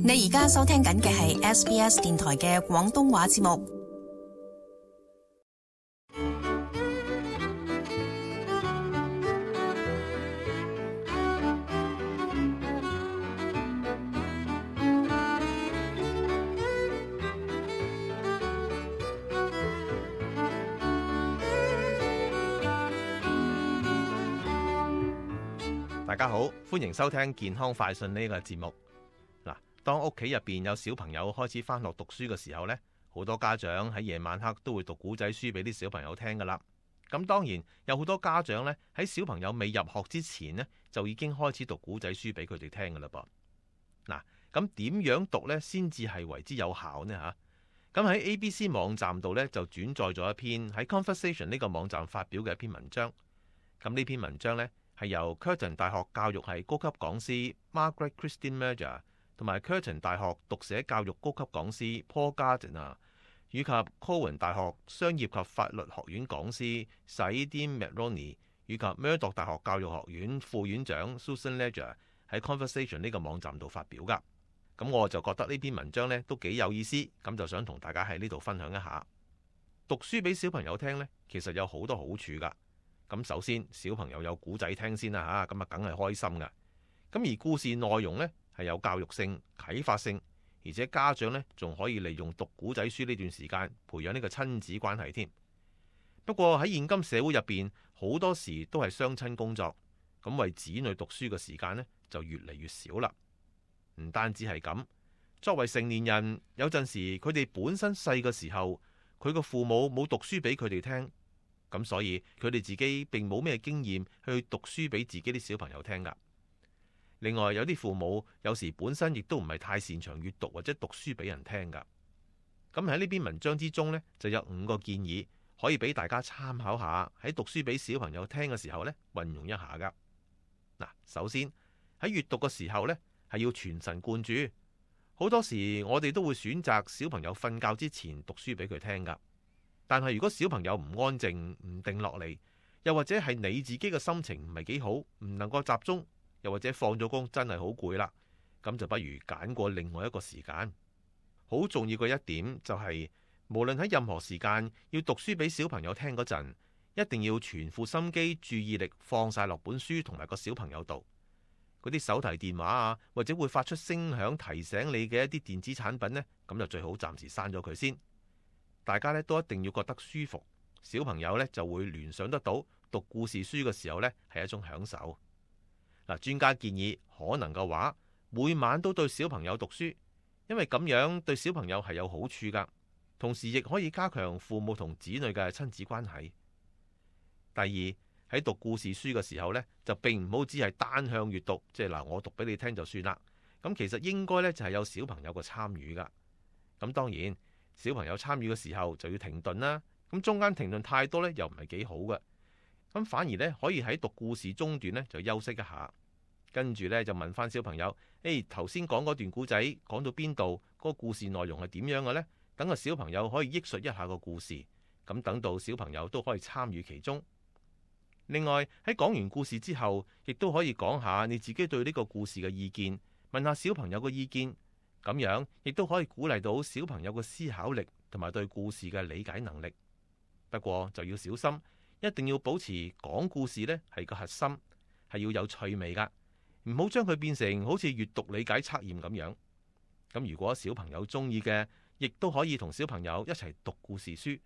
你而家收聽緊嘅係 SBS 電台嘅廣東話節目。大家好，歡迎收聽健康快訊呢個節目。嗱，當屋企入邊有小朋友開始返學讀書嘅時候呢，好多家長喺夜晚黑都會讀古仔書俾啲小朋友聽噶啦。咁當然有好多家長呢，喺小朋友未入學之前呢，就已經開始讀古仔書俾佢哋聽噶啦噃。嗱，咁點樣讀呢先至係為之有效呢？吓，咁喺 ABC 網站度呢，就轉載咗一篇喺 Conversation 呢個網站發表嘅一篇文章。咁呢篇文章呢，係由 Curtin 大學教育系高級講師 Margaret Christine Mercer 同埋 Curtin 大學讀寫教育高級講師 Paul Gardner 以及 Cowan 大學商業及法律學院講師 Saidin Mahroni 以及 Murdoch 大學教育學院副院長 Susan Ledger 喺 Conversation 呢個網站度發表噶。咁我就覺得呢篇文章呢都幾有意思，咁就想同大家喺呢度分享一下。讀書俾小朋友聽呢，其實有好多好處噶。咁首先，小朋友有古仔聽先啦嚇，咁啊梗係開心噶。咁而故事內容呢，係有教育性、啟發性，而且家長呢，仲可以利用讀古仔書呢段時間培養呢個親子關係添。不過喺現今社會入邊，好多時都係雙親工作，咁為子女讀書嘅時間呢，就越嚟越少啦。唔單止係咁，作為成年人，有陣時佢哋本身細嘅時候，佢個父母冇讀書俾佢哋聽。咁所以佢哋自己並冇咩經驗去讀書俾自己啲小朋友聽噶。另外有啲父母有時本身亦都唔係太擅長閱讀或者讀書俾人聽噶。咁喺呢篇文章之中呢，就有5個建議可以俾大家參考下，喺讀書俾小朋友聽嘅時候呢，運用一下噶。嗱，首先喺閱讀嘅時候呢，係要全神貫注。好多時我哋都會選擇小朋友瞓覺之前讀書俾佢聽噶。但係如果小朋友唔安靜、唔定落嚟，又或者係你自己嘅心情唔係幾好，唔能夠集中，又或者放咗工真係好攰啦，咁就不如揀過另外一個時間。好重要嘅一點就係，無論喺任何時間要讀書俾小朋友聽嗰陣，一定要全副心機、注意力放晒落本書同埋個小朋友度。嗰啲手提電話啊，或者會發出聲響提醒你嘅一啲電子產品呢，咁就最好暫時刪咗佢先。大家咧都一定要覺得舒服，小朋友咧就會聯想得到讀故事書嘅時候咧係一種享受。嗱，專家建議可能嘅話，每晚都對小朋友讀書，因為咁樣對小朋友係有好處噶，同時亦可以加強父母同子女嘅親子關係。第二，喺讀故事書嘅時候咧，就並唔好只係單向閱讀，即係嗱我讀俾你聽就算啦。咁其實應該咧就係有小朋友嘅參與噶。咁當然，小朋友參與嘅時候就要停頓啦，咁中間停頓太多呢，又唔係幾好嘅，咁反而呢，可以喺讀故事中段呢，就休息一下，跟住呢，就問翻小朋友，頭先講嗰段故仔講到邊度，嗰個故事內容係點樣嘅呢？等個小朋友可以憶述一下個故事，咁等到小朋友都可以參與其中。另外喺講完故事之後，亦都可以講下你自己對呢個故事嘅意見，問下小朋友嘅意見。咁樣亦都可以鼓勵到小朋友嘅思考力同埋對故事嘅理解能力。不過就要小心，一定要保持講故事呢係個核心，係要有趣味噶，唔好將佢變成好似閱讀理解測驗咁樣。咁如果小朋友中意嘅，亦都可以同小朋友一齊讀故事書，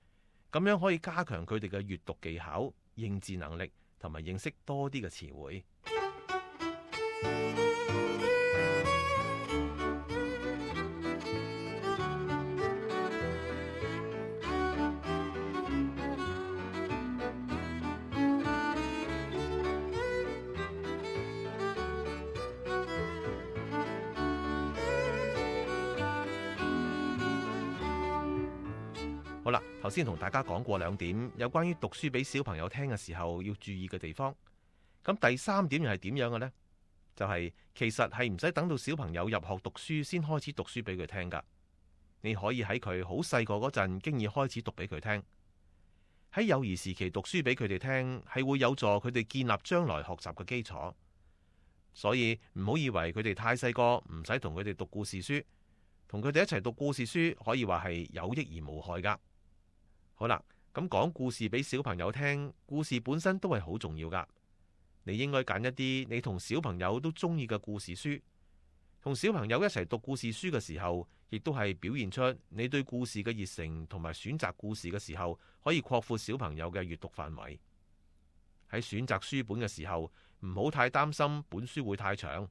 咁樣可以加強佢哋嘅閱讀技巧、認字能力同埋認識多啲嘅詞彙。好啦，頭先同大家講過2點，有關於讀書俾小朋友聽嘅時候要注意嘅地方。咁第3點又係點樣嘅呢？就係其實係唔使等到小朋友入學讀書先開始讀書俾佢聽噶。你可以喺佢好細個嗰陣經已開始讀俾佢聽。喺幼兒時期讀書俾佢哋聽，係會有助佢哋建立將來學習嘅基礎。所以唔好以為佢哋太細個唔使同佢哋讀故事書，同佢哋一齊讀故事書可以話係有益而無害噶。好啦，咁講故事俾小朋友聽，故事本身都係好重要噶。你應該揀一啲你同小朋友都中意嘅故事書，同小朋友一齊讀故事書嘅時候，亦都係表現出你對故事嘅熱誠，同埋選擇故事嘅時候可以擴闊小朋友嘅閱讀範圍。喺選擇書本嘅時候，唔好太擔心本書會太長，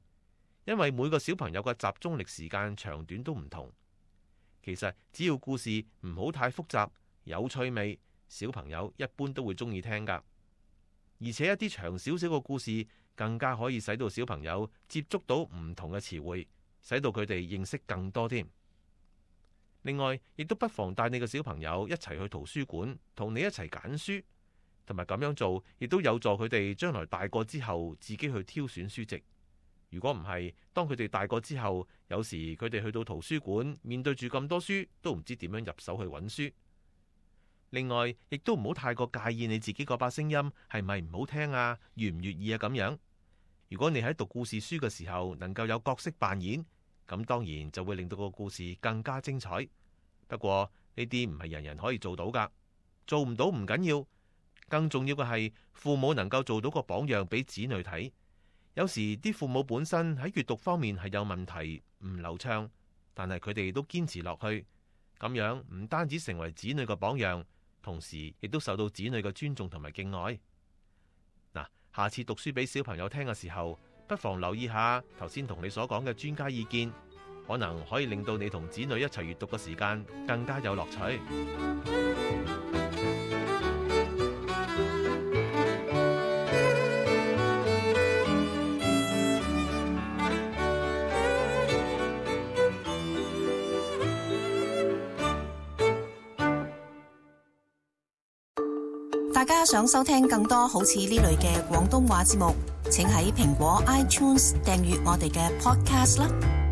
因為每個小朋友嘅集中力時間長短都唔同。其實只要故事唔好太複雜，有趣味，小朋友一般都會中意聽噶。而且一啲長少少嘅故事，更加可以使到小朋友接觸到唔同嘅詞彙，使到佢哋認識更多添。另外，亦都不妨帶你嘅小朋友一齊去圖書館，同你一齊揀書。同埋咁樣做，亦都有助佢哋將來大個之後自己去挑選書籍。如果唔係，當佢哋大個之後，有時佢哋去到圖書館，面對住咁多書，都唔知點樣入手去揾書。另外，亦都唔好太過介意你自己嗰把聲音係咪唔好聽啊，悅唔悅耳啊咁樣。如果你喺讀故事書嘅時候能夠有角色扮演，咁當然就會令到個故事更加精彩。不過呢啲唔係人人可以做到噶，做唔到唔緊要。更重要嘅係，父母能夠做到個榜樣俾子女睇。有時啲父母本身喺閱讀方面係有問題，唔流暢，但係佢哋都堅持落去，咁樣唔單止成為子女嘅榜樣，同時亦都受到子女嘅尊重同埋敬愛。嗱，下次讀書俾小朋友聽嘅時候，不妨留意下頭先同你所講嘅專家意見，可能可以令到你同子女一齊閱讀嘅時間更加有樂趣。大家想收聽更多好似呢類嘅廣東話節目，請喺蘋果 iTunes 訂閱我哋嘅 Podcast 啦。